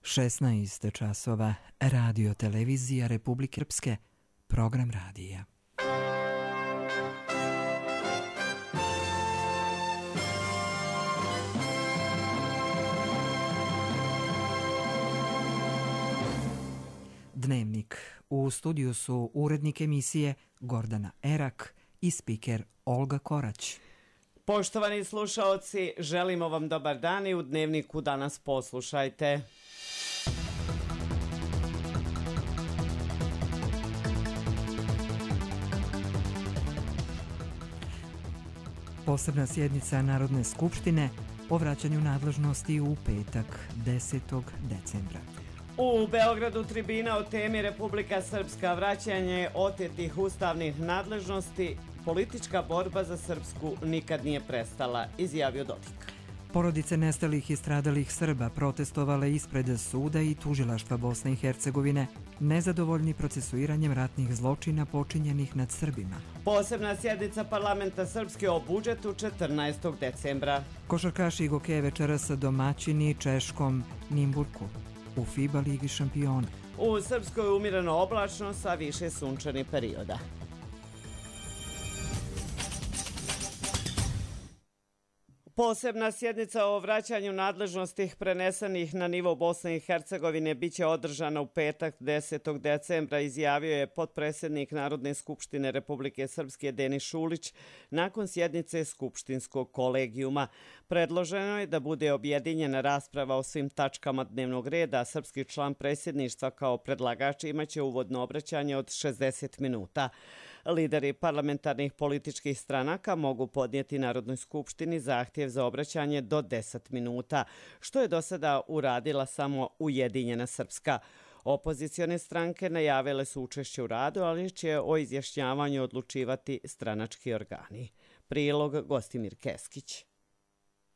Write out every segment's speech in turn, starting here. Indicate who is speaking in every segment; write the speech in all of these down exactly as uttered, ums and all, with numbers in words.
Speaker 1: šesnaest časova, Radio Televizija Republike Srpske, program radija. Dnevnik. U studiju su urednik emisije Gordana Erak i spiker Olga Korać.
Speaker 2: Poštovani slušaoci, želimo vam dobar dan i u Dnevniku danas poslušajte.
Speaker 1: Posebna sjednica Narodne skupštine o vraćanju nadležnosti u petak desetog decembra.
Speaker 2: U Beogradu tribina o temi Republika Srpska, vraćanje otetih ustavnih nadležnosti, politička borba za Srpsku nikad nije prestala, izjavio Dodik.
Speaker 1: Porodice nestalih i stradalih Srba protestovale ispred suda i tužilaštva Bosne i Hercegovine, nezadovoljni procesuiranjem ratnih zločina počinjenih nad Srbima.
Speaker 2: Posebna sjednica parlamenta Srpske o budžetu četrnaestog decembra.
Speaker 1: Košarkaši Goke večeras domaćini Češkom Nimburku u FIBA Ligi šampiona.
Speaker 2: U Srpskoj umireno oblačno sa više sunčanih perioda. Posebna sjednica o vraćanju nadležnosti prenesenih na nivo Bosne i Hercegovine biće održana u petak desetog decembra, izjavio je potpredsjednik Narodne skupštine Republike Srpske Denis Šulić nakon sjednice skupštinskog kolegijuma. Predloženo je da bude objedinjena rasprava o svim tačkama dnevnog reda, a srpski član predsjedništva kao predlagač imaće uvodno obraćanje od šezdeset minuta. Lideri parlamentarnih političkih stranaka mogu podnijeti Narodnoj skupštini zahtjev za obraćanje do deset minuta, što je do sada uradila samo Ujedinjena Srpska. Opozicione stranke najavile su učešće u radu, ali će o izjašnjavanju odlučivati stranački organi. Prilog Gostimir Keskić.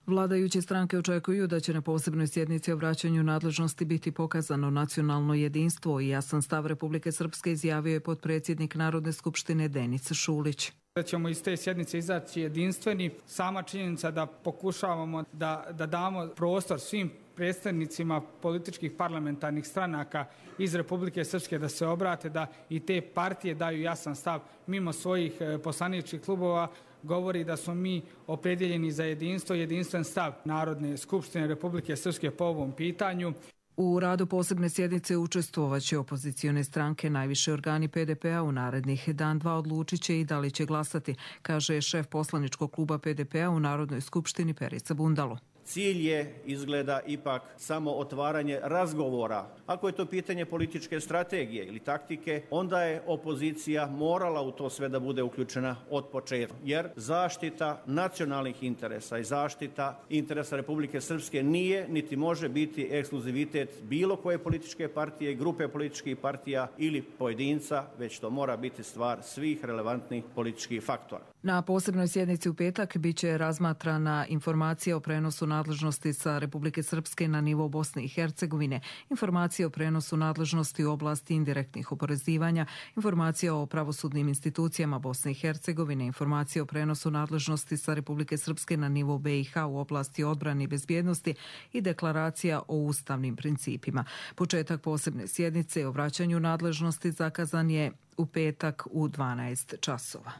Speaker 3: Vladajuće stranke očekuju da će na posebnoj sjednici o vraćanju nadležnosti biti pokazano nacionalno jedinstvo i jasan stav Republike Srpske, izjavio je potpredsjednik Narodne skupštine Denis Šulić.
Speaker 4: Da ćemo iz te sjednice izaći jedinstveni. Sama činjenica da pokušavamo da, da damo prostor svim predstavnicima političkih parlamentarnih stranaka iz Republike Srpske da se obrate, da i te partije daju jasan stav mimo svojih poslaničkih klubova, govori da smo mi opredjeljeni za jedinstvo, jedinstven stav Narodne skupštine Republike Srpske po ovom pitanju.
Speaker 3: U radu posebne sjednice učestvovaće opozicione stranke, najviše organi P D P-a u narednih dan dva odlučit će i da li će glasati, kaže šef poslaničkog kluba P D P-a u Narodnoj skupštini Perica Bundalo.
Speaker 5: Cilj je, izgleda, ipak samo otvaranje razgovora. Ako je to pitanje političke strategije ili taktike, onda je opozicija morala u to sve da bude uključena od početka. Jer zaštita nacionalnih interesa i zaštita interesa Republike Srpske nije niti može biti ekskluzivitet bilo koje političke partije, grupe političkih partija ili pojedinca, već to mora biti stvar svih relevantnih političkih faktora.
Speaker 3: Na posebnoj sjednici u petak biće razmatrana informacija o prenosu nadležnosti sa Republike Srpske na nivo Bosne i Hercegovine, informacija o prenosu nadležnosti u oblasti indirektnih oporezivanja, informacija o pravosudnim institucijama Bosne i Hercegovine, informacija o prenosu nadležnosti sa Republike Srpske na nivo B i H u oblasti odbrane i bezbjednosti i deklaracija o ustavnim principima. Početak posebne sjednice o vraćanju nadležnosti zakazan je u petak u dvanaest časova.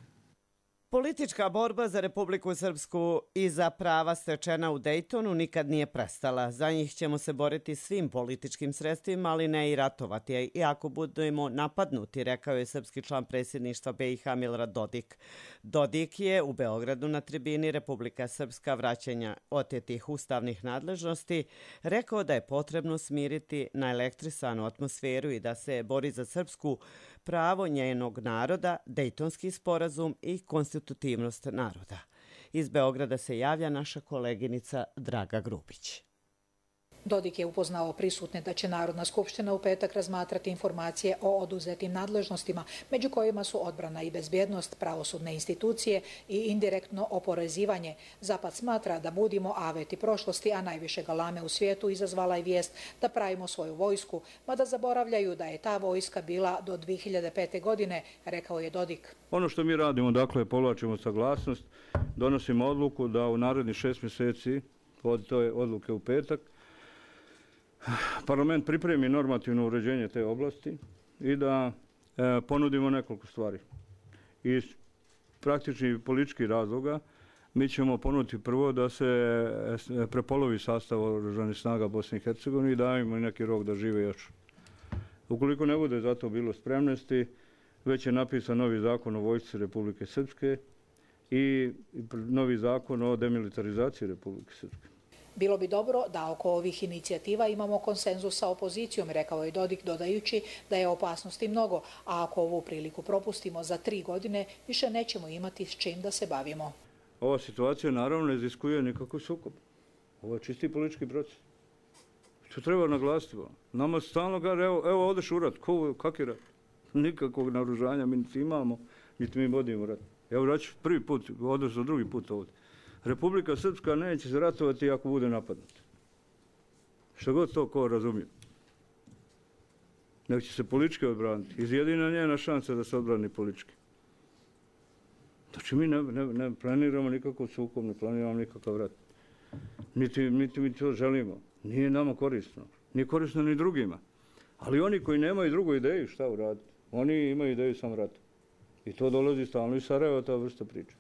Speaker 2: Politička borba za Republiku Srpsku i za prava stečena u Dejtonu nikad nije prestala. Za njih ćemo se boriti svim političkim sredstvima, ali ne i ratovati. I ako budemo napadnuti, rekao je srpski član predsjedništva B i H Milorad Dodik. Dodik je u Beogradu na tribini Republika Srpska vraćanja otetih ustavnih nadležnosti rekao da je potrebno smiriti naelektrisanu atmosferu i da se bori za srpsku pravo njenog naroda, Dejtonski sporazum i konstitutivnost naroda. Iz Beograda se javlja naša koleginica Draga Grubić.
Speaker 6: Dodik je upoznao prisutne da će Narodna skupština u petak razmatrati informacije o oduzetim nadležnostima, među kojima su odbrana i bezbjednost, pravosudne institucije i indirektno oporezivanje. Zapad smatra da budimo aveti prošlosti, a najviše galame u svijetu izazvala je vijest da pravimo svoju vojsku, mada zaboravljaju da je ta vojska bila do dvije hiljade pete. godine, rekao je Dodik.
Speaker 7: Ono što mi radimo, dakle, povlačimo saglasnost, donosimo odluku da u narednih šest mjeseci od te odluke u petak parlament pripremi normativno uređenje te oblasti i da e, ponudimo nekoliko stvari. Iz praktičnih političkih razloga mi ćemo ponuditi prvo da se prepolovi sastav oružanih snaga Bosne i Hercegovine i dajemo im neki rok da žive još. Ukoliko ne bude za to bilo spremnosti, već je napisan novi zakon o vojsci Republike Srpske i novi zakon o demilitarizaciji Republike Srpske.
Speaker 6: Bilo bi dobro da oko ovih inicijativa imamo konsenzus sa opozicijom, rekao je Dodik, dodajući da je opasnosti mnogo, a ako ovu priliku propustimo za tri godine, više nećemo imati s čim da se bavimo.
Speaker 7: Ova situacija naravno ne iziskuje nikakav sukob. Ovo je čisti politički proces. To treba naglasiti. Nama stalno kaže, evo, evo odeš u rat. Kak je rat? Nikakvog naoružanja mi niti imamo, niti mi vodimo rat. Evo raću prvi put, odeš za drugi put ovdje. Republika Srpska neće se ratovati ako bude napadnuta. Što god to ko razumije. Nek će se politički odbraniti. Izjedina njena šansa da se odbrani politički. Znači mi ne, ne, ne planiramo nikakav sukob, ne planiramo nikakav rat. Niti, niti mi to želimo. Nije nama korisno. Nije korisno ni drugima. Ali oni koji nemaju drugu ideju šta uraditi, oni imaju ideju samo rata. I to dolazi stalno iz Sarajeva, ta vrsta priče.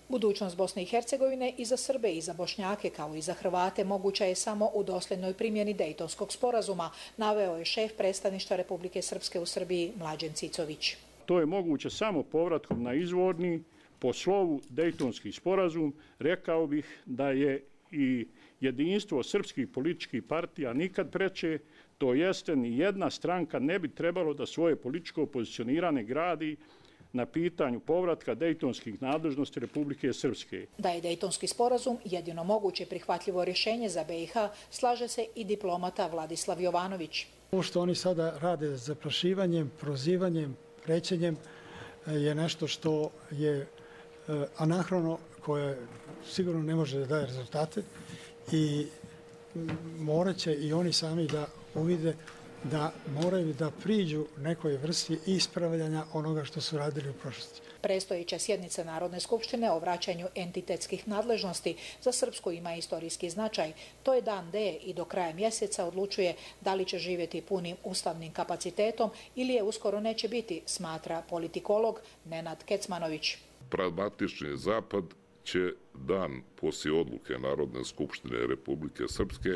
Speaker 6: Budućnost Bosne i Hercegovine i za Srbe i za Bošnjake kao i za Hrvate moguća je samo u dosljednoj primjeni Dejtonskog sporazuma, naveo je šef predstavništva Republike Srpske u Srbiji Mlađen Cicović.
Speaker 8: To je moguće samo povratkom na izvorni, po slovu Dejtonski sporazum. Rekao bih da je i jedinstvo srpskih političkih partija nikad preče, to jeste ni jedna stranka ne bi trebalo da svoje političko pozicioniranje gradi na pitanju povratka dejtonskih nadležnosti Republike Srpske.
Speaker 6: Da je Dejtonski sporazum jedino moguće prihvatljivo rješenje za B i H, slaže se i diplomata Vladislav Jovanović.
Speaker 9: Ovo što oni sada rade zaprašivanjem, prozivanjem, prećenjem je nešto što je anahrono, koje sigurno ne može da daje rezultate i morat će i oni sami da uvide da moraju da priđu nekoj vrsti ispravljanja onoga što su radili u prošlosti.
Speaker 6: Prestojeća sjednica Narodne skupštine o vraćanju entitetskih nadležnosti za Srpsku ima istorijski značaj. To je dan D i do kraja mjeseca odlučuje da li će živjeti punim ustavnim kapacitetom ili je uskoro neće biti, smatra politikolog Nenad Kecmanović.
Speaker 10: Pragmatični zapad će dan poslije odluke Narodne skupštine Republike Srpske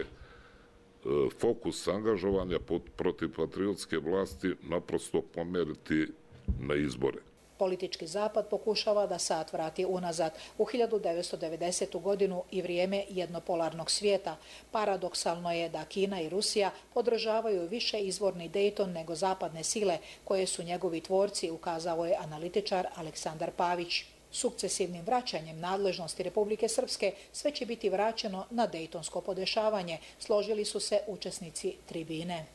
Speaker 10: fokus angažovanja protiv patriotske vlasti naprosto pomeriti na izbore.
Speaker 6: Politički zapad pokušava da sat vrati unazad u hiljadu devetsto devedesetu godinu i vrijeme jednopolarnog svijeta. Paradoksalno je da Kina i Rusija podržavaju više izvorni Dejton nego zapadne sile koje su njegovi tvorci, ukazao je analitičar Aleksandar Pavić. Sukcesivnim vraćanjem nadležnosti Republike Srpske sve će biti vraćeno na dejtonsko podešavanje, složili su se učesnici tribine.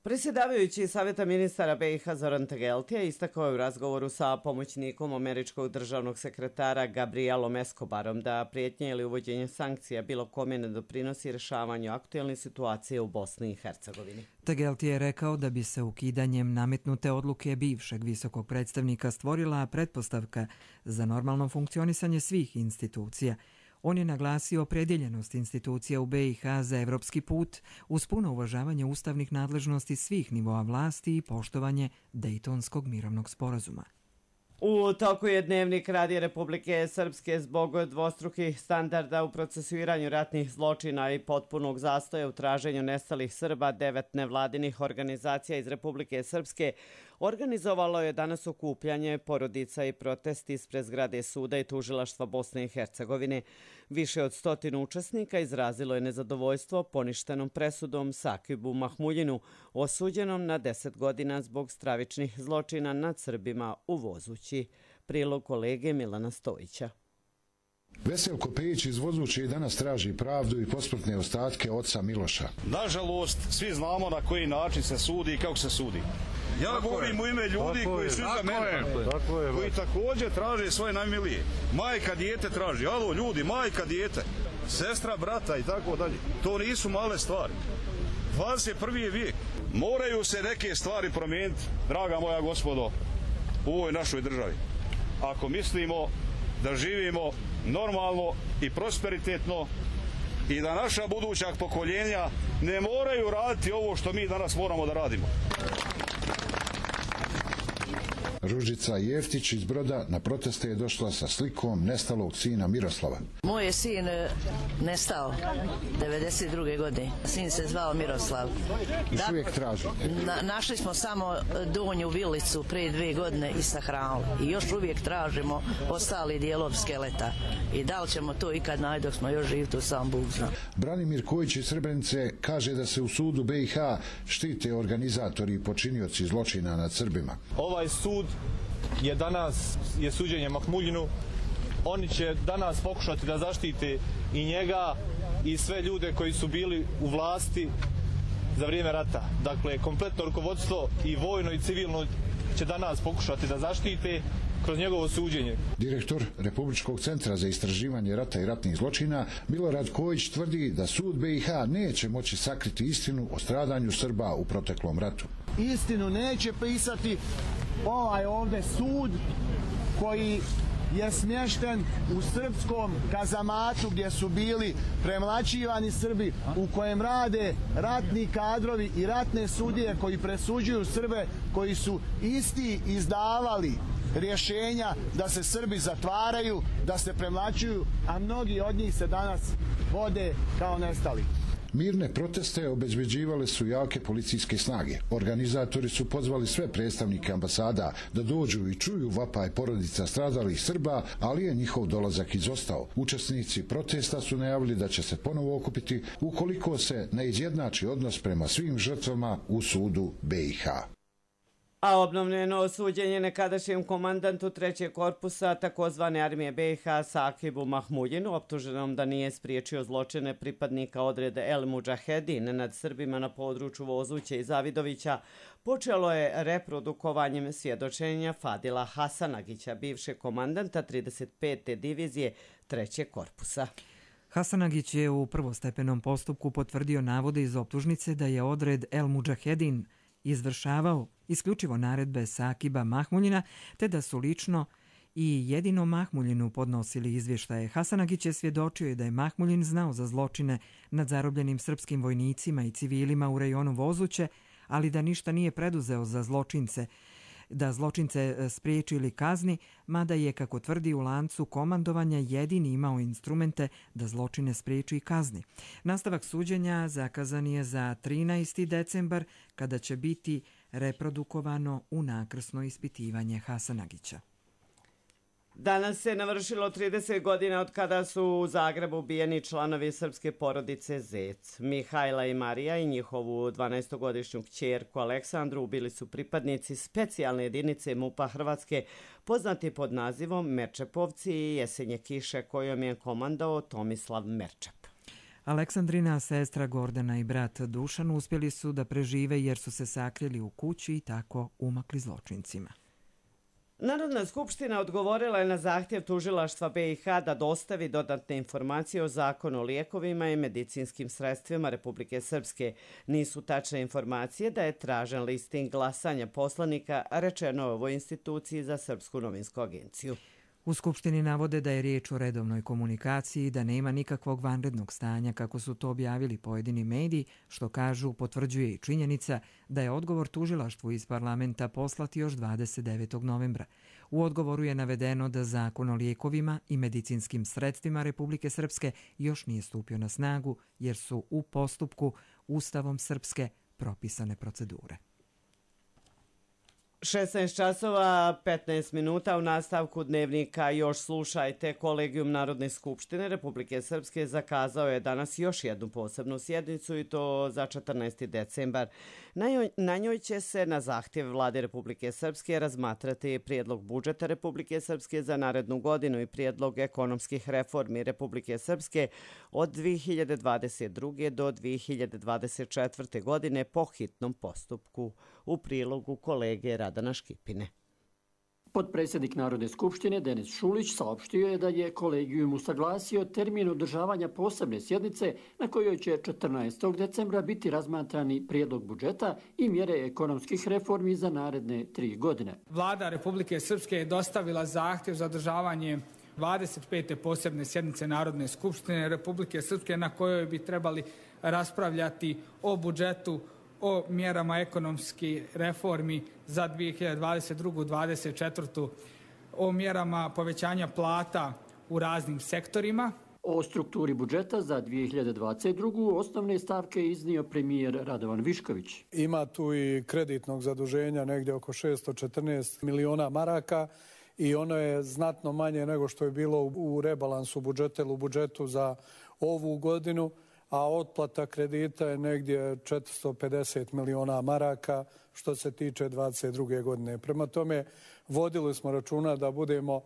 Speaker 2: Predsjedavajući Savjeta ministara B i H Zoran Tegeltija istakao je u razgovoru sa pomoćnikom američkog državnog sekretara Gabrielom Escobarom da prijetnje ili uvođenje sankcija bilo kome ne doprinosi rješavanju aktualne situacije u Bosni i Hercegovini.
Speaker 1: Tegeltija je rekao da bi se ukidanjem nametnute odluke bivšeg visokog predstavnika stvorila pretpostavka za normalno funkcionisanje svih institucija. On je naglasio opredjeljenost institucija u B i H za evropski put uz puno uvažavanje ustavnih nadležnosti svih nivoa vlasti i poštovanje Dejtonskog mirovnog sporazuma.
Speaker 2: U toku je dnevnik Radija Republike Srpske zbog dvostrukih standarda u procesuiranju ratnih zločina i potpunog zastoja u traženju nestalih Srba. Devet nevladinih organizacija iz Republike Srpske organizovalo je danas okupljanje porodica i protesti ispred zgrade suda i tužilaštva Bosne i Hercegovine. Više od stotinu učesnika izrazilo je nezadovoljstvo poništenom presudom Sakibu Mahmuljinu, osuđenom na deset godina zbog stravičnih zločina nad Srbima u Vozući. Prilog kolege Milana Stojića.
Speaker 11: Veselko Pejić iz Vozuće i danas traži pravdu i posmrtne ostatke oca Miloša.
Speaker 12: Nažalost, svi znamo na koji način se sudi i kako se sudi. Ja tako govorim je. U ime ljudi tako koji su iza mene, koji također traže svoje najmilije. Majka dijete traži, alo ljudi, majka dijete, sestra brata i tako dalje. To nisu male stvari. dvadeset prvi je vijek. Moraju se neke stvari promijeniti, draga moja gospodo, u ovoj našoj državi. Ako mislimo da živimo normalno i prosperitetno i da naša buduća pokoljenja ne moraju raditi ovo što mi danas moramo da radimo.
Speaker 11: Ružica Jeftić iz Broda na proteste je došla sa slikom nestalog sina Miroslava.
Speaker 13: Moj je sin nestao devedeset druge godine. Sin se zvao Miroslav.
Speaker 11: Još uvijek tražite?
Speaker 13: Na, našli smo samo donju vilicu prije dve godine i sahranili. I još uvijek tražimo ostali dijelov skeleta. I da li ćemo to ikad naći dok smo još živi, to sam Bog zna.
Speaker 11: Branimir Kojić iz Srebrenice kaže da se u sudu B i H štite organizatori i počinioci zločina nad Srbima.
Speaker 14: Ovaj sud je danas je suđenje Mahmuljinu. Oni će danas pokušati da zaštite i njega i sve ljude koji su bili u vlasti za vrijeme rata. Dakle, kompletno rukovodstvo i vojno i civilno će danas pokušati da zaštite kroz njegovo suđenje.
Speaker 11: Direktor Republičkog centra za istraživanje rata i ratnih zločina Milorad Kojić tvrdi da sud B i H neće moći sakriti istinu o stradanju Srba u proteklom ratu.
Speaker 15: Istinu neće pisati ovaj ovdje sud koji je smješten u srpskom kazamatu gdje su bili premlaćivani Srbi, u kojem rade ratni kadrovi i ratne sudije koji presuđuju Srbe, koji su isti izdavali rješenja da se Srbi zatvaraju, da se premlaćuju, a mnogi od njih se danas vode kao nestali.
Speaker 11: Mirne proteste obezbeđivale su jake policijske snage. Organizatori su pozvali sve predstavnike ambasada da dođu i čuju vapaj porodica stradalih Srba, ali je njihov dolazak izostao. Učesnici protesta su najavili da će se ponovo okupiti ukoliko se ne izjednači odnos prema svim žrtvama u sudu B i H.
Speaker 2: A obnovljeno suđenje nekadašnjem komandantu trećeg korpusa takozvane armije B i H Sakibu Mahmuljinu, optuženom da nije spriječio zločine pripadnika odrede El Mudžahedin nad Srbima na području Vozuće i Zavidovića, počelo je reprodukovanjem svjedočenja Fadila Hasanagića, bivšeg komandanta trideset pete divizije trećeg korpusa.
Speaker 1: Hasanagić je u prvostepenom postupku potvrdio navode iz optužnice da je odred El Mudžahedin izvršavao isključivo naredbe Sakiba Mahmuljina, te da su lično i jedino Mahmuljinu podnosili izvještaje. Hasanagić je svjedočio da je Mahmuljin znao za zločine nad zarobljenim srpskim vojnicima i civilima u rejonu Vozuće, ali da ništa nije preduzeo za zločince, da zločince spriječi ili kazni, mada je, kako tvrdi, u lancu komandovanja jedini imao instrumente da zločine spriječi i kazni. Nastavak suđenja zakazan je za trinaesti decembar, kada će biti reprodukovano unakrsno ispitivanje Hasanagića.
Speaker 2: Danas se navršilo trideset godina od kada su u Zagrebu ubijeni članovi srpske porodice Zec. Mihajla i Marija i njihovu dvanaestogodišnju kćerku Aleksandru ubili su pripadnici specijalne jedinice MUP-a Hrvatske, poznati pod nazivom Merčepovci i Jesenje kiše, kojom je komandao Tomislav Merčep.
Speaker 1: Aleksandrina sestra Gordana i brat Dušan uspjeli su da prežive jer su se sakrili u kući i tako umakli zločincima.
Speaker 2: Narodna skupština odgovorila je na zahtjev tužilaštva B i H da dostavi dodatne informacije o zakonu o lijekovima i medicinskim sredstvima Republike Srpske. Nisu tačne informacije da je tražen listing glasanja poslanika, rečeno je ovoj instituciji za Srpsku novinsku agenciju.
Speaker 1: U Skupštini navode da je riječ o redovnoj komunikaciji i da nema nikakvog vanrednog stanja, kako su to objavili pojedini mediji, što kažu potvrđuje i činjenica da je odgovor tužilaštvu iz parlamenta poslat još dvadeset devetog novembra. U odgovoru je navedeno da zakon o lijekovima i medicinskim sredstvima Republike Srpske još nije stupio na snagu jer su u postupku Ustavom Srpske propisane procedure.
Speaker 2: šesnaest časova petnaest minuta u nastavku dnevnika još slušajte. Kolegijum Narodne skupštine Republike Srpske zakazao je danas još jednu posebnu sjednicu i to za četrnaesti decembar. Na njoj će se na zahtjev Vlade Republike Srpske razmatrati prijedlog budžeta Republike Srpske za narednu godinu i prijedlog ekonomskih reformi Republike Srpske od dvije hiljade dvadeset druge do dvije hiljade dvadeset četvrte godine po hitnom postupku. U prilogu kolege Radana Škipine.
Speaker 16: Potpredsjednik Narodne skupštine Denis Šulić saopštio je da je kolegijum usaglasio termin održavanja posebne sjednice na kojoj će četrnaestog decembra biti razmatrani prijedlog budžeta i mjere ekonomskih reformi za naredne tri godine.
Speaker 4: Vlada Republike Srpske je dostavila zahtjev za održavanje dvadeset pete posebne sjednice Narodne skupštine Republike Srpske na kojoj bi trebali raspravljati o budžetu, o mjerama ekonomskih reformi za dvije hiljade dvadeset drugu do dvadeset četvrtu, o mjerama povećanja plata u raznim sektorima.
Speaker 16: O strukturi budžeta za dvije hiljade dvadeset drugu osnovne stavke iznio premijer Radovan Višković.
Speaker 17: Ima tu i kreditnog zaduženja negdje oko šesto četrnaest miliona maraka i ono je znatno manje nego što je bilo u rebalansu budžeta ili u budžetu za ovu godinu, a otplata kredita je negdje četiristo pedeset miliona maraka što se tiče dvadeset druge godine. Prema tome, vodili smo računa da budemo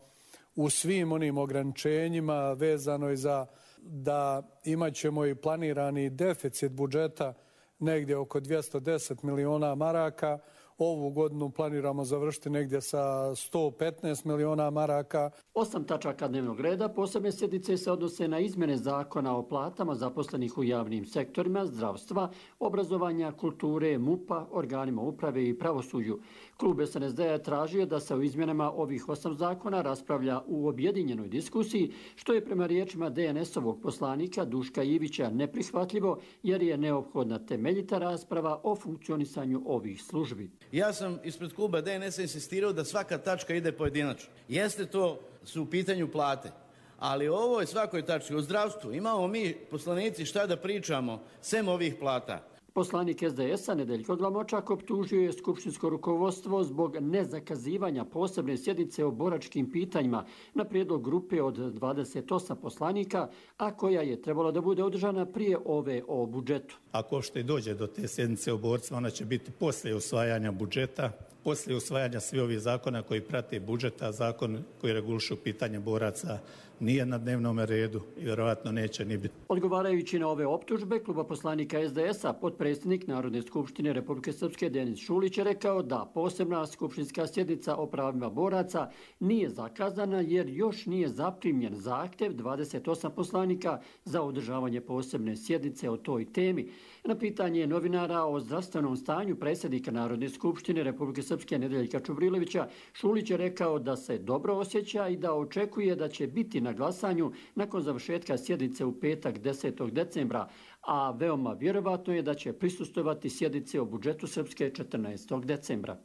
Speaker 17: u svim onim ograničenjima vezano i za da imat ćemo i planirani deficit budžeta negdje oko dvjesto deset miliona maraka. Ovu godinu planiramo završiti negdje sa sto petnaest miliona maraka.
Speaker 16: Osam tačaka dnevnog reda posebne sjednice se odnose na izmjene zakona o platama zaposlenih u javnim sektorima, zdravstva, obrazovanja, kulture, MUP-a, organima uprave i pravosuđu. Klub es en es de je tražio da se o izmjenama ovih osam zakona raspravlja u objedinjenoj diskusiji, što je prema riječima de en esovog poslanika Duška Ivića neprihvatljivo jer je neophodna temeljita rasprava o funkcionisanju ovih službi.
Speaker 18: Ja sam ispred kluba de en es insistirao da svaka tačka ide pojedinačno. Jeste to su u pitanju plate, ali o ovoj svakoj tački, o zdravstvu, imamo mi poslanici šta da pričamo sem ovih plata.
Speaker 16: Poslanik es de esa Nedeljko Glamočak optužio je skupštinsko rukovodstvo zbog nezakazivanja posebne sjednice o boračkim pitanjima na prijedlog grupe od dvadeset osam poslanika, a koja je trebala da bude održana prije ove o budžetu.
Speaker 19: Ako što i dođe do te sjednice o borcima, ona će biti poslije usvajanja budžeta, poslije usvajanja svih ovih zakona koji prate budžeta, zakon koji regulišu pitanje boraca nije na dnevnom redu i vjerojatno neće ni biti.
Speaker 16: Odgovarajući na ove optužbe, kluba poslanika es de esa, potpredsjednik Narodne skupštine Republike Srpske Denis Šulić je rekao da posebna skupštinska sjednica o pravima boraca nije zakazana jer još nije zaprimljen zahtjev dvadeset osam poslanika za održavanje posebne sjednice o toj temi. Na pitanje novinara o zdravstvenom stanju predsjednika Narodne skupštine Republike Srpske Nedeljka Čubrilovića, Šulić je rekao da se dobro osjeća i da očekuje da će biti na glasanju nakon završetka sjednice u petak desetog decembra, a veoma vjerovatno je da će prisustvovati sjednici o budžetu Srpske četrnaestog decembra.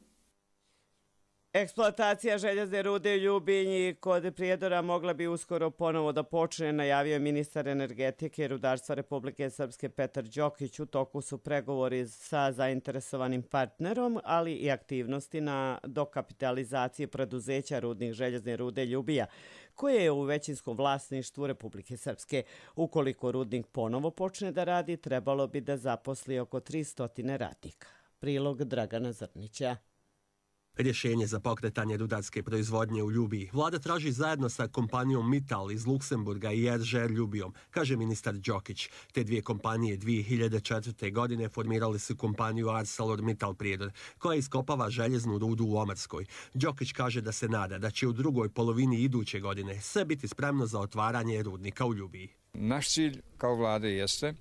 Speaker 2: Eksploatacija željezne rude u Ljubinji kod Prijedora mogla bi uskoro ponovo da počne, najavio je ministar energetike i rudarstva Republike Srpske Petar Đokić. U toku su pregovori sa zainteresovanim partnerom, ali i aktivnosti na dokapitalizaciji preduzeća rudnih željezne rude Ljubija, koje je u većinskom vlasništvu Republike Srpske. Ukoliko rudnik ponovo počne da radi, trebalo bi da zaposli oko tristo radnika. Prilog Dragana Zrnića.
Speaker 20: Rješenje za pokretanje rudarske proizvodnje u Ljubiji vlada traži zajedno sa kompanijom Mittal iz Luksemburga i er že er Ljubijom, kaže ministar Đokić. Te dvije kompanije dvije hiljade četvrte. godine formirali su kompaniju ArcelorMittal Prijedor, koja iskopava željeznu rudu u Omarskoj. Đokić kaže da se nada da će u drugoj polovini iduće godine sve biti spremno za otvaranje rudnika u Ljubiji.
Speaker 21: Naš cilj kao vlade jeste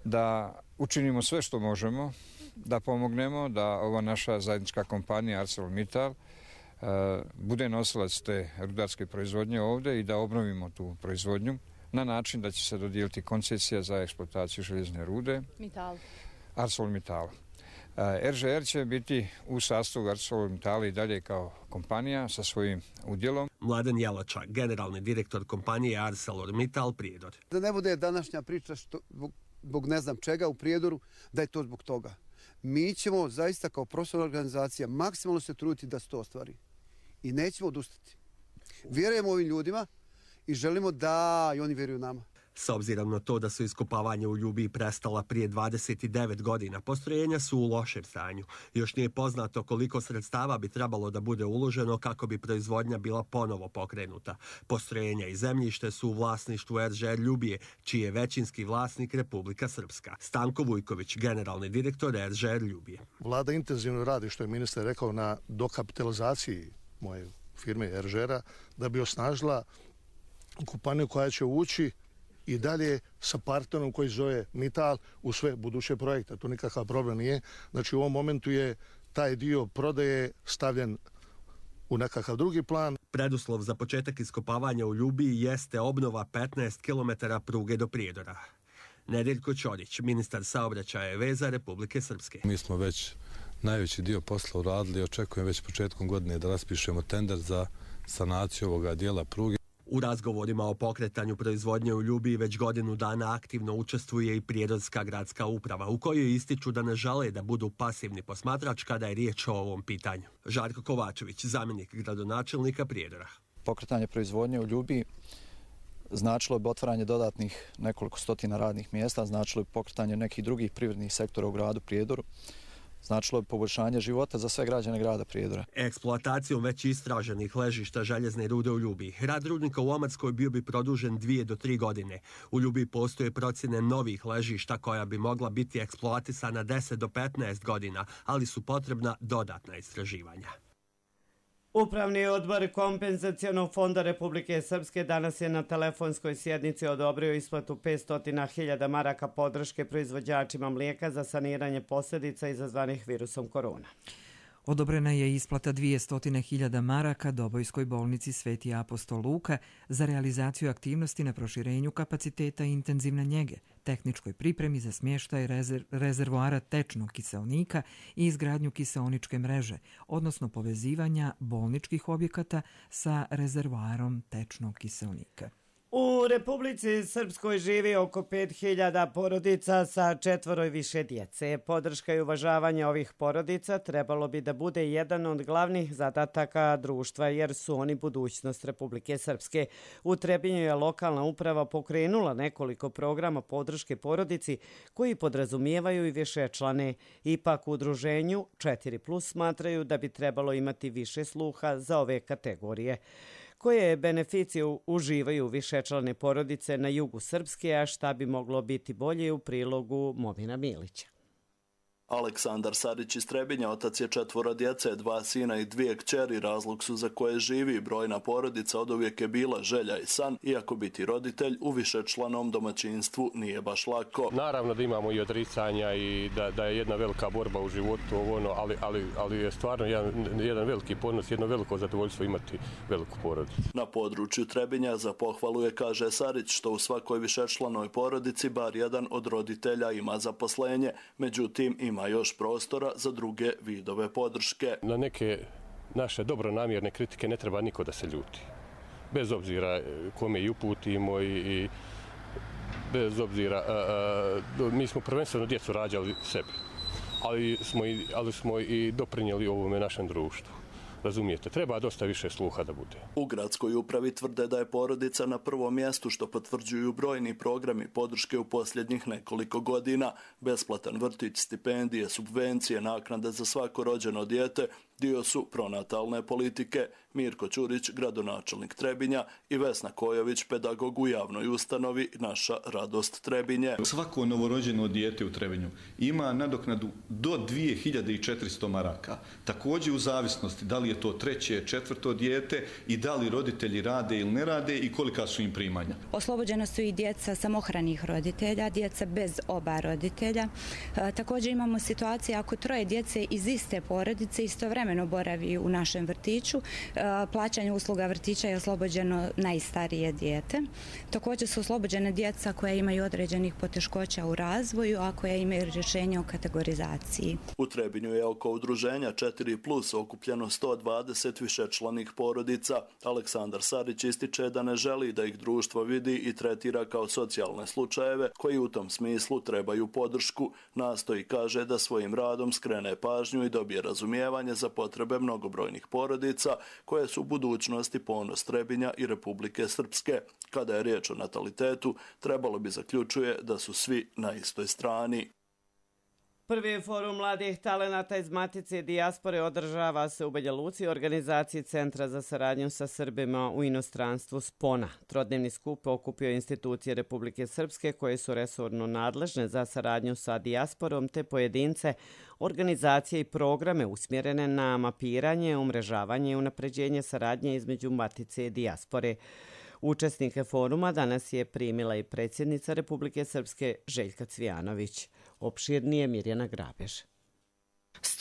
Speaker 21: da učinimo sve što možemo, da pomognemo da ova naša zajednička kompanija ArcelorMittal uh, bude nosilac te rudarske proizvodnje ovdje i da obnovimo tu proizvodnju na način da će se dodijeliti koncesija za eksploataciju željezne rude
Speaker 22: Mittal.
Speaker 21: ArcelorMittal. Uh, er že er će biti u sastavu ArcelorMittala i dalje kao kompanija sa svojim udjelom.
Speaker 20: Mladen Jelača, generalni direktor kompanije ArcelorMittal Prijedor.
Speaker 23: Da ne bude današnja priča što, zbog ne znam čega u Prijedoru, da je to zbog toga. Mi ćemo zaista kao profesionalna organizacija maksimalno se truditi da se to ostvari. I nećemo odustati. Vjerujemo ovim ljudima i želimo da i oni vjeruju nama.
Speaker 20: S obzirom na to da su iskopavanje u Ljubiji prestala prije dvadeset devet godina, postrojenja su u lošem stanju. Još nije poznato koliko sredstava bi trebalo da bude uloženo kako bi proizvodnja bila ponovo pokrenuta. Postrojenja i zemljište su u vlasništvu er že er Ljubije, čiji je većinski vlasnik Republika Srpska. Stanko Vujković, generalni direktor er že er Ljubije.
Speaker 24: Vlada intenzivno radi, što je ministar rekao, na dokapitalizaciji moje firme er že era, da bi osnažila kompaniju koja će ući i dalje sa partnerom koji zove Mittal u sve buduće projekte. To nikakav problem nije. Znači u ovom momentu je taj dio prodaje stavljen u nekakav drugi plan.
Speaker 20: Preduslov za početak iskopavanja u Ljubiji jeste obnova petnaest kilometara pruge do Prijedora. Nedeljko Ćorić, ministar saobraćaja i veza Republike Srpske.
Speaker 3: Mi smo već najveći dio posla uradili i očekujem već početkom godine da raspišemo tender za sanaciju ovoga dijela pruge.
Speaker 20: U razgovorima o pokretanju proizvodnje u Ljubiji već godinu dana aktivno učestvuje i Prijedorska gradska uprava, u kojoj ističu da ne žele da budu pasivni posmatrač kada je riječ o ovom pitanju. Žarko Kovačević, zamjenik gradonačelnika Prijedora.
Speaker 5: Pokretanje proizvodnje u Ljubiji značilo bi otvaranje dodatnih nekoliko stotina radnih mjesta, značilo bi pokretanje nekih drugih privrednih sektora u gradu Prijedoru, značilo bi poboljšanje života za sve građane grada Prijedora.
Speaker 20: Eksploatacijom već istraženih ležišta željezne rude u Ljubiji, rad rudnika u Omarskoj bio bi produžen dvije do tri godine. U Ljubiji postoje procjene novih ležišta koja bi mogla biti eksploatisana deset do petnaest godina, ali su potrebna dodatna istraživanja.
Speaker 2: Upravni odbor Kompenzacionog fonda Republike Srpske danas je na telefonskoj sjednici odobrio isplatu petsto hiljada maraka podrške proizvođačima mlijeka za saniranje posljedica izazvanih virusom korona.
Speaker 1: Odobrena je isplata dvjesto hiljada maraka Dobojskoj bolnici Sveti apostol Luka za realizaciju aktivnosti na proširenju kapaciteta intenzivne njege, tehničkoj pripremi za smještaj rezerv, rezervoara tečnog kiseonika i izgradnju kiseoničke mreže, odnosno povezivanja bolničkih objekata sa rezervoarom tečnog kiseonika.
Speaker 2: U Republici Srpskoj živi oko pet hiljada porodica sa četvoro i više djece. Podrška i uvažavanje ovih porodica trebalo bi da bude jedan od glavnih zadataka društva, jer su oni budućnost Republike Srpske. U Trebinju je lokalna uprava pokrenula nekoliko programa podrške porodici koji podrazumijevaju i višečlane. Ipak u udruženju četiri plus smatraju da bi trebalo imati više sluha za ove kategorije. Koje beneficije uživaju višečlane porodice na jugu Srpske, a šta bi moglo biti bolje u prilogu Movina Milića.
Speaker 7: Aleksandar Sarić iz Trebinja, otac je četvoro djece, dva sina i dvije kćeri, razlog su za koje živi. Brojna porodica oduvijek je bila želja i san, iako biti roditelj u višečlanom domaćinstvu nije baš lako.
Speaker 22: Naravno da imamo i odricanja i da, da je jedna velika borba u životu, ono, ali, ali, ali je stvarno jedan, jedan veliki ponos, jedno veliko zadovoljstvo imati veliku porodicu.
Speaker 7: Na području Trebinja za pohvalu je, kaže Sarić, što u svakoj višečlanoj porodici bar jedan od roditelja ima zaposlenje, međutim ima još prostora za druge vidove podrške.
Speaker 22: Na neke naše dobronamjerne kritike ne treba niko da se ljuti. Bez obzira kome i uputimo i, i bez obzira, a, a, mi smo prvenstveno djecu rađali sebi, ali smo i, ali smo i doprinijeli ovome našem društvu. Razumijete, treba dosta više sluha da bude.
Speaker 7: U gradskoj upravi tvrde da je porodica na prvom mjestu, što potvrđuju brojni programi podrške u posljednjih nekoliko godina. Besplatan vrtić, stipendije, subvencije, naknade za svako rođeno dijete dio su pronatalne politike. Mirko Ćurić, gradonačelnik Trebinja, i Vesna Kojović, pedagog u javnoj ustanovi Naša radost Trebinje.
Speaker 25: Svako novorođeno dijete u Trebinju ima nadoknadu do dvije hiljade četiristo maraka. Također u zavisnosti da li je to treće, četvrto dijete i da li roditelji rade ili ne rade i kolika su im primanja.
Speaker 26: Oslobođena su i djeca samohranih roditelja, djeca bez oba roditelja. E, također imamo situacije ako troje djece iz iste porodice istovremeno boravi u našem vrtiću. E, plaćanje usluga vrtića je oslobođeno najstarije dijete. Također su oslobođene djeca koja imaju određenih poteškoća u razvoju, a koja imaju rješenje o kategorizaciji.
Speaker 7: U Trebinju je oko udruženja četiri plus okupljeno sto dvadeset višečlanih porodica. Aleksandar Sarić ističe da ne želi da ih društvo vidi i tretira kao socijalne slučajeve koji u tom smislu trebaju podršku. Nastoji, kaže, da svojim radom skrene pažnju i dobije razumijevanje za potrebe mnogobrojnih porodica koje su u budućnosti ponos Trebinja i Republike Srpske. Kada je riječ o natalitetu, trebalo bi, zaključuje, da su svi na istoj strani.
Speaker 2: Prvi forum mladih talenata iz Matice dijaspore održava se u Banja Luci, organizaciji Centra za saradnju sa Srbima u inostranstvu Spona. Trodnevni skup okupio institucije Republike Srpske koje su resorno nadležne za saradnju sa dijasporom te pojedince, organizacije i programe usmjerene na mapiranje, umrežavanje i unapređenje saradnje između Matice i dijaspore. Učesnike foruma danas je primila i predsjednica Republike Srpske Željka Cvijanović. Opširnije Mirjana Grabež.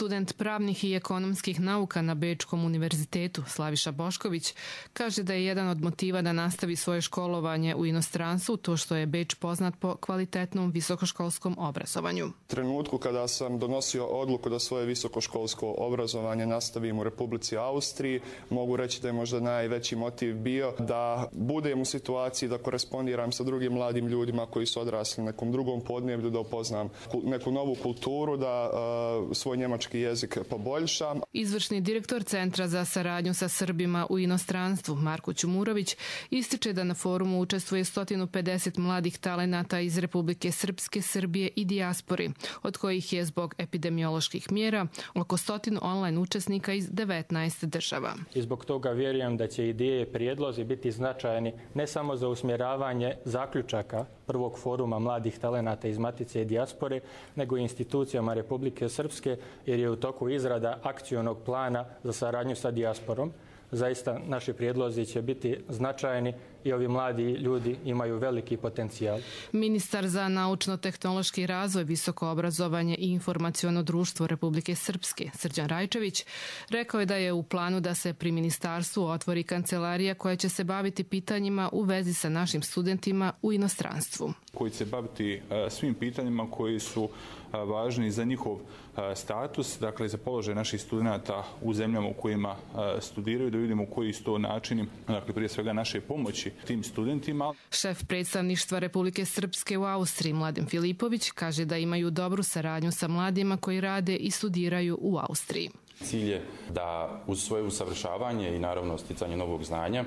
Speaker 6: Student pravnih i ekonomskih nauka na Bečkom univerzitetu Slaviša Bošković kaže da je jedan od motiva da nastavi svoje školovanje u inostranstvu to što je Beč poznat po kvalitetnom visokoškolskom obrazovanju.
Speaker 8: U trenutku kada sam donosio odluku da svoje visokoškolsko obrazovanje nastavim u Republici Austriji, mogu reći da je možda najveći motiv bio da budem u situaciji da korespondiram sa drugim mladim ljudima koji su odrasli na nekom drugom podneblju, da upoznam neku novu kulturu, da uh, svoj njemački jezik poboljšam.
Speaker 6: Izvršni direktor Centra za saradnju sa Srbima u inostranstvu Marko Ćumurović ističe da na forumu učestvuje sto pedeset mladih talenata iz Republike Srpske, Srbije i dijaspore, od kojih je zbog epidemioloških mjera oko stotinu online učesnika iz devetnaest država.
Speaker 9: I zbog toga vjerujem da će ideje i prijedlozi biti značajni ne samo za usmjeravanje zaključaka prvog foruma mladih talenata iz Matice i dijaspore, nego i institucijama Republike Srpske, jer je u toku izrada akcionog plana za saradnju sa dijasporom. Zaista naši prijedlozi će biti značajni i ovi mladi ljudi imaju veliki potencijal.
Speaker 6: Ministar za naučno-tehnološki razvoj, visoko obrazovanje i informaciono društvo Republike Srpske, Srđan Rajčević, rekao je da je u planu da se pri ministarstvu otvori kancelarija koja će se baviti pitanjima u vezi sa našim studentima u inostranstvu.
Speaker 10: Koji će se baviti svim pitanjima koji su važni za njihov status, dakle za položaj naših studenata u zemljama u kojima studiraju, da vidimo koji su to načini, dakle prije svega naše pomoći tim studentima.
Speaker 6: Šef predstavništva Republike Srpske u Austriji Mladen Filipović kaže da imaju dobru saradnju sa mladima koji rade i studiraju u Austriji.
Speaker 12: Cilj je da uz svoje usavršavanje i naravno sticanje novog znanja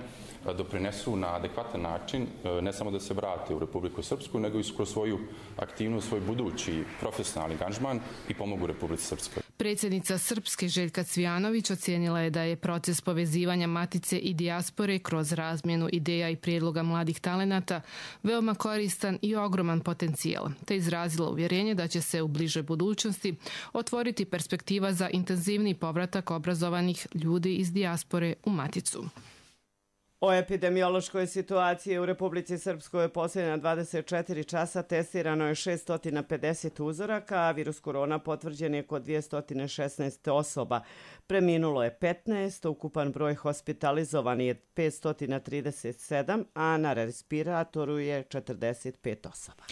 Speaker 12: doprinesu na adekvatan način, ne samo da se vrate u Republiku Srpsku, nego i kroz svoju aktivnost, svoj budući profesionalni angažman i pomogu Republici Srpskoj.
Speaker 6: Predsjednica Srpske Željka Cvijanović ocijenila je da je proces povezivanja Matice i dijaspore kroz razmjenu ideja i prijedloga mladih talenata veoma koristan i ogroman potencijal, te izrazila uvjerenje da će se u bližoj budućnosti otvoriti perspektiva za intenzivni povratak obrazovanih ljudi iz dijaspore u Maticu.
Speaker 2: O epidemiološkoj situaciji u Republici Srpskoj posljednja dvadeset četiri časa testirano je šesto pedeset uzoraka, a virus korona potvrđen je kod dvjesto šesnaest osoba. Preminulo je petnaest, ukupan broj hospitalizovan je petsto trideset sedam, a na respiratoru je četrdeset pet osoba.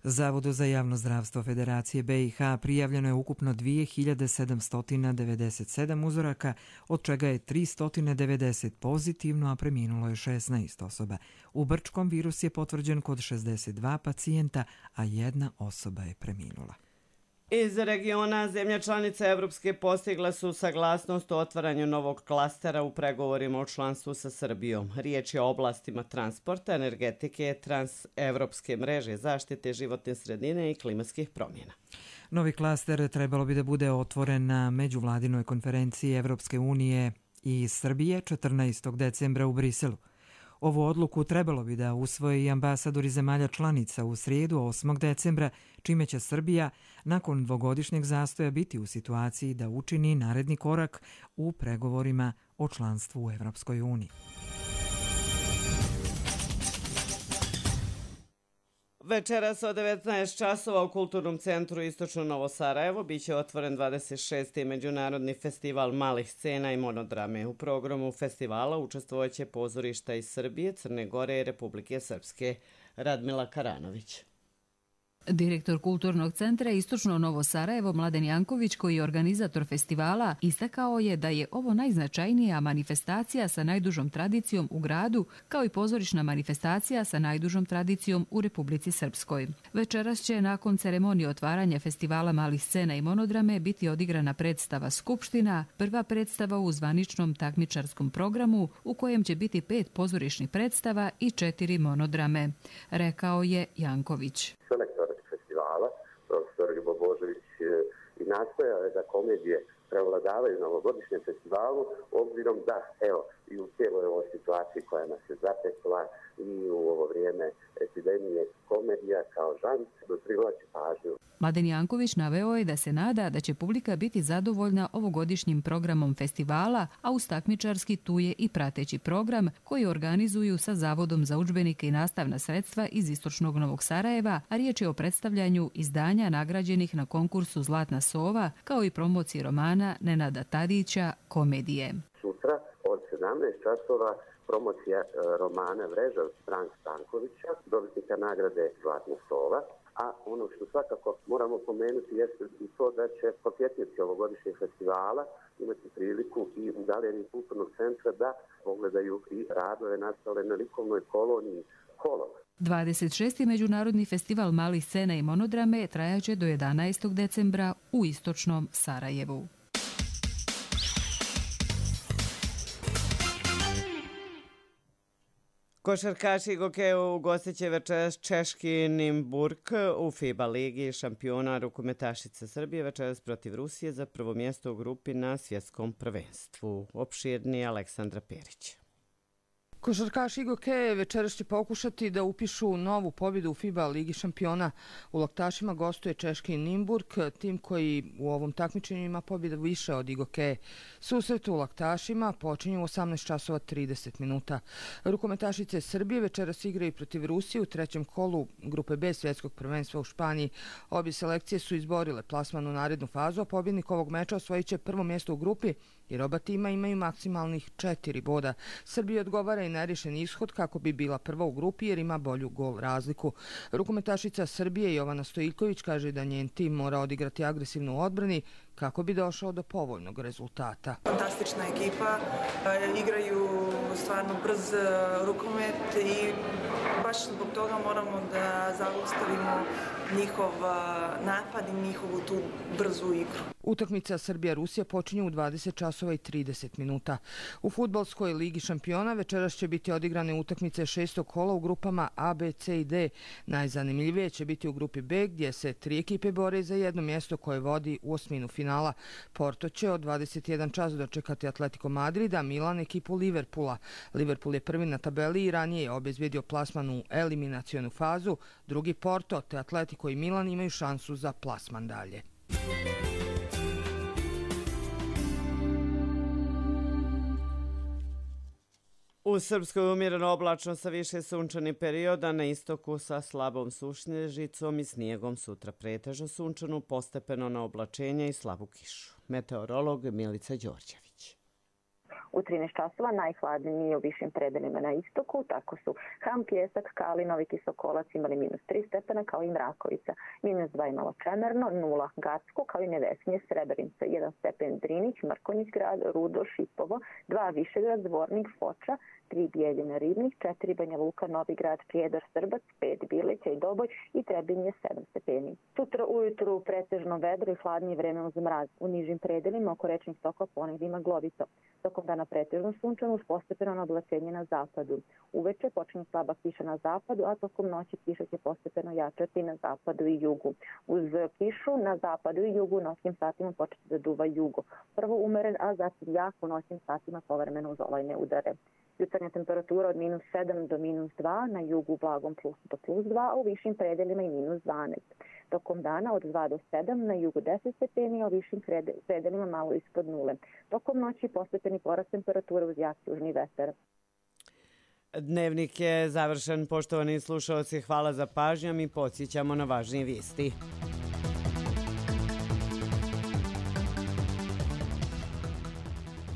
Speaker 1: Zavodu za javno zdravstvo Federacije B i H prijavljeno je ukupno dvije hiljade sedamsto devedeset sedam uzoraka, od čega je tristo devedeset pozitivno, a preminulo je šesnaest osoba. U Brčkom virus je potvrđen kod šezdeset dva pacijenta, a jedna osoba je preminula.
Speaker 2: Iz regiona zemlja članica Evropske postigla su saglasnost o otvaranju novog klastera u pregovorima o članstvu sa Srbijom. Riječ je o oblastima transporta, energetike, transevropske mreže, zaštite životne sredine i klimatskih promjena.
Speaker 1: Novi klaster trebalo bi da bude otvoren na međuvladinoj konferenciji Evropske unije i Srbije četrnaestog decembra u Briselu. Ovu odluku trebalo bi da usvoje i ambasadori zemalja članica u srijedu osmog decembra, čime će Srbija nakon dvogodišnjeg zastoja biti u situaciji da učini naredni korak u pregovorima o članstvu u Evropskoj uniji.
Speaker 2: Večeras od devetnaest časova u Kulturnom centru Istočno Novo Sarajevo biće otvoren dvadeset šesti Međunarodni festival malih scena i monodrame. U programu festivala učestvovaće pozorišta iz Srbije, Crne Gore i Republike Srpske. Radmila Karanović.
Speaker 13: Direktor Kulturnog centra Istočno Novo Sarajevo Mladen Janković, koji je organizator festivala, istakao je da je ovo najznačajnija manifestacija sa najdužom tradicijom u gradu, kao i pozorišna manifestacija sa najdužom tradicijom u Republici Srpskoj. Večeras će nakon ceremonije otvaranja festivala malih scena i monodrame biti odigrana predstava Skupština, prva predstava u zvaničnom takmičarskom programu u kojem će biti pet pozorišnih predstava i četiri monodrame, rekao je Janković.
Speaker 27: Profesor Ljubo Božović i nastojao je da komedije
Speaker 4: prevladavaju na ovogodišnjem festivalu, obzirom da, evo, i u cijeloj ovoj situaciji koja nas je zatekla i u ovo vrijeme epidemije, komedija kao žanr privlači pažnju.
Speaker 13: Mladen Janković naveo je da se nada da će publika biti zadovoljna ovogodišnjim programom festivala, a uz takmičarski tu je i prateći program koji organizuju sa Zavodom za udžbenike i nastavna sredstva iz Istočnog Novog Sarajeva, a riječ je o predstavljanju izdanja nagrađenih na konkursu Zlatna sova, kao i promociji romana Nenada Tadića Komedije.
Speaker 4: Sutra od sedamnaest časova promocija romana Vreža od Branka Stankovića, dobitnika nagrade Zlatna sova. A ono što svakako moramo pomenuti jeste i to da će posjetioci ovogodišnjeg festivala imati priliku i u galeriji Kulturnog centra da pogledaju i radove nastale na likovnoj koloniji Kolov.
Speaker 13: dvadeset šesti. Međunarodni festival malih scena i monodrame trajaće do jedanaestog decembra u Istočnom Sarajevu.
Speaker 2: Košarkaši Gokeju ugostit će večeras češki Nimburg u FIBA ligi šampiona. Rukometašice Srbije večeras protiv Rusije za prvo mjesto u grupi na svjetskom prvenstvu. Opširnije Aleksandra Perić.
Speaker 11: Košarkaši Gokeje večeras će pokušati da upišu novu pobjedu u FIBA ligi šampiona. U Laktašima gostuje češki Nimburg, tim koji u ovom takmičenju ima pobjeda više od Gokeje. Susret u Laktašima počinje u osamnaest časova trideset minuta. Rukometašice Srbije večeras igraju protiv Rusije u trećem kolu grupe B svjetskog prvenstva u Španiji. Obje selekcije su izborile plasman u narednu fazu, a pobjednik ovog meča osvojit će prvo mjesto u grupi jer oba tima imaju maksimalnih četiri boda. Srbiji odgovara i nerješen ishod kako bi bila prva u grupi jer ima bolju gol razliku. Rukometašica Srbije Jovana Stojiljković kaže da njen tim mora odigrati agresivnu u odbrani kako bi došao do povoljnog rezultata.
Speaker 14: Fantastična ekipa, igraju stvarno brz rukomet i baš zbog toga moramo da zaustavimo njihov napad i njihovu tu brzu igru.
Speaker 11: Utakmica Srbija-Rusija počinje u dvadeset časova i trideset minuta. U fudbalskoj ligi šampiona večeras će biti odigrane utakmice šestog kola u grupama A, B, C i D. Najzanimljivije će biti u grupi B gdje se tri ekipe bore za jedno mjesto koje vodi u osminu finala. Porto će od dvadeset jedan čas dočekati Atletico Madrida, Milan ekipu Liverpoola. Liverpool je prvi na tabeli i ranije je obezbedio plasman u eliminacionu fazu. Drugi Porto te Atletico i Milan imaju šansu za plasman dalje.
Speaker 2: U Srpskoj umjereno oblačno sa više sunčanih perioda, na istoku sa slabom sušnježicom i snijegom, sutra pretežno sunčanu, postepeno na oblačenje i slabu kišu. Meteorolog Milica Đorđević.
Speaker 15: U trinaest časova najhladnije u višim predelima na istoku, tako su Ham, Pljesak, Kalinovi, Kisokolac imali minus tri stepena, kao i Mrakovica. Minus dva imalo Čemerno, nula Gacko, kao i Nevesinje, Srebrenica, jedan stepen Drinić, Mrkonjić grad, Rudo, Šipovo, dva Višegrad, Zvornik, Foča, tri Bijeljina, Ribnik, četiri Banja Luka, Novi grad, Prijedor, Srbac, pet Bileća i Doboj i Trebinje, sedam stepeni. Sutra ujutru pretežno vedro i hladnije vreme uz mraz. U nižim predelima oko rečnih tokova ponegdje ima glovito. Tokom dana pretežno sunčano uz postepeno na oblačenje na zapadu. Uveče počinje slaba kiša na zapadu, a tokom noći kiša će postepeno jačati na zapadu i jugu. Uz kišu na zapadu i jugu noćnim satima početi da duva jugo. Prvo umeren, a zatim jak u noćnim satima povremeno uz olajne udare. Jutarnja temperatura od minus sedam do minus dva, na jugu blagom plus do plus dva, a u višim predelima i minus dvanaest. Tokom dana od dva do sedam, na jugu deset stepeni, a u višim predelima malo ispod nule. Tokom noći postepeni porast temperature uz jak južni vetar.
Speaker 2: Dnevnik je završen, poštovani slušalci, hvala za pažnju, mi podsjećamo na važnije vijesti.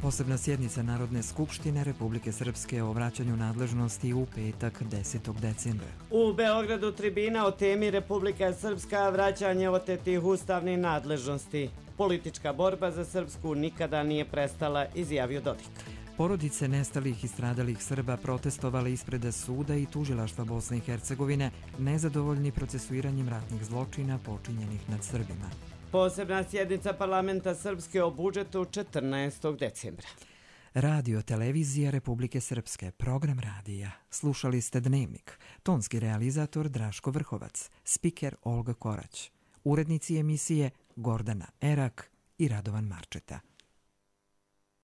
Speaker 1: Posebna sjednica Narodne skupštine Republike Srpske o vraćanju nadležnosti u petak desetog decembra.
Speaker 2: U Beogradu tribina o temi Republika Srpska, vraćanje otetih ustavnih nadležnosti. Politička borba za Srpsku nikada nije prestala, izjavio Dodik.
Speaker 1: Porodice nestalih i stradalih Srba protestovali ispred suda i tužilaštva Bosne i Hercegovine, nezadovoljni procesuiranjem ratnih zločina počinjenih nad Srbima.
Speaker 2: Posebna sjednica parlamenta Srpske o budžetu četrnaestog decembra.
Speaker 1: Radio Televizija Republike Srpske, program radija. Slušali ste Dnevnik. Tonski realizator Draško Vrhovac, spiker Olga Korać. Urednici emisije Gordana Erak i i Radovan Marčeta.